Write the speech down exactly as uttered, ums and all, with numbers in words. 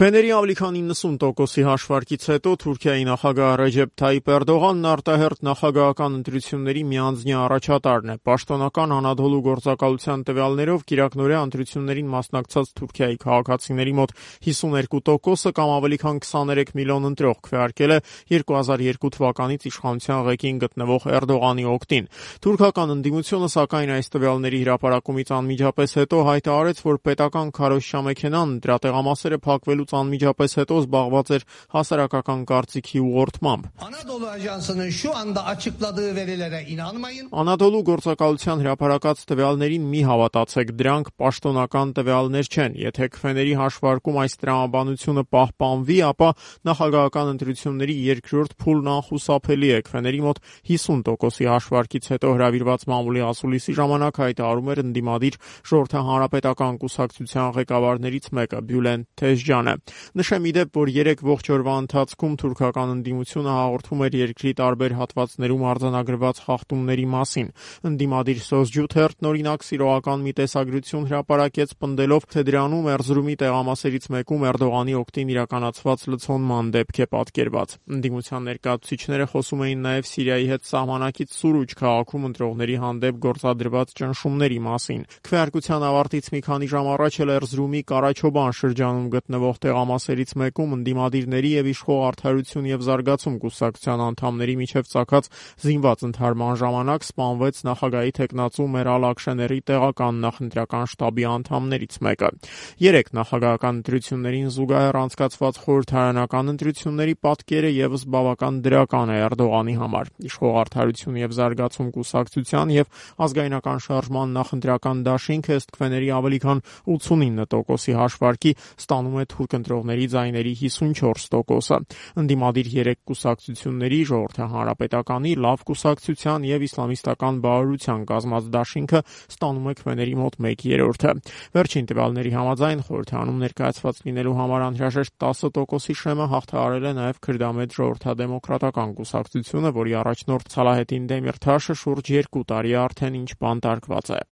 Քվեների ավելի քան իննսուն տոկոսի հաշվարկից հետո Թուրքիայի նախագահ Ռեջեփ Թայիփ Էրդողանն արտահերթ նախագահական ընտրությունների միանձնյա առաջատարն է։ Պաշտոնական Անադոլու գործակալության տվյալներով կիրակնօրյա ընտրություններին մասնակցած Թուրքիայի քաղաքացիների մոտ հիսուներկու տոկոսը կամ ավելի քան քսաներեք միլիոն ընտրող քվեարկել է երկու հազար երկու թվականից իշխանության ղեկին գտնվող Էրդողանի օգտին։ Թուրքական ընդդիմությունը, սակայն, այս տվյալների հրապարակումից անմիջապես հետո հայտարարեց, որ պետական քարոզչամեքենան դրա տեղամասերը փակվելու անմիջապես հետո զբաղված էր հասարակական կարծիքի ուղղորդմամբ։ Անադոլու գործակալության հրապարակած տվյալներին մի հավատացեք, դրանք պաշտոնական տվյալներ չեն։ Եթե քվեների հաշվարկում այս տրամաբանությունը պահպանվի, ապա նախագահական ընտրությունների երկրորդ փուլն անխուսափելի է։ Քվեների մոտ հիսուն տոկոսի հաշվարկից հետո հրավիրված մամուլի ասուլիսի ժամանակ հայտարարում էր ընդդիմադիր Ժողովրդահանրապետական կուսակցության ղեկավարներից մեկը՝ Բյուլենտ Թեժջյանը։ Նշեմ ի դեպ, որ երեք ողջ օրվա ընթացքում թուրքական ընդդիմությունը հաղորդում էր երկրի տարբեր հատվածներում արձանագրված խախտումների մասին։ Ընդդիմադիր Սոցջութերթն օրինակ սիրողական մի տեսագրություն հրապարակեց, պնդելով, թե դրանում Էրզրումի տեղամասերից մեկում Էրդողանի օգտին իրականացված լցոնման դեպք է պատկերված։ Ընդդիմության ներկայացուցիչները խոսում էին նաև Սիրիայի հետ սահմանակից Սուրուջ քաղաքում ընտրողների հանդեպ գործադրված ճնշումների մասին։ Քվեարկության ավարտից մի քանի ժամ առաջ էլ Էրզրումի Կարաչոբան շրջանում գտնվող տեղամասերից մեկում ընդդիմադիրների եւ իշխող Արդարություն եւ զարգացում կուսակցության անդամների միջև ծագած զինված ընդհարման ժամանակ սպանվեց նախագահի թեկնածու Մերալ Աքշեների տեղական նախընտրական շտաբի անդամներից մեկը։ Երեք նախագահական ընտրություններին զուգահեռ անցկացված խորհրդարանական ընտրությունների պատկերը եւս բավական դրական է Էրդողանի համար։ Իշխող Արդարություն եւ զարգացում կուսակցության եւ ազգայնական շարժման նախընտրական դաշինքը ըստ քվեների ավելի քան ութսունինը տոկոսի հաշվարկի ստանում է թուրք ընտրողների ձայների հիսունչորս տոկոսը։ Ընդդիմադիր երեք կուսակցությունների՝ Ժողովրդահանրապետականի, Լավ կուսակցության եւ Իսլամիստական բառարության կազմած դաշինքը ստանում է քվեների մոտ մեկ երրորդը։ Վերջին տվյալների համաձայն խորհրդարանում ներկայացված լինելու համար անհրաժեշտ տասը տոկոսի շեմը հաղթահարել է նաև քրդամետ Ժողովրդադեմոկրատական կուսակցությունը, որի առաջնորդ Սալահեդին Դեմիրթաշը շուրջ երկու տարի արդեն ինչ բանտարկված է։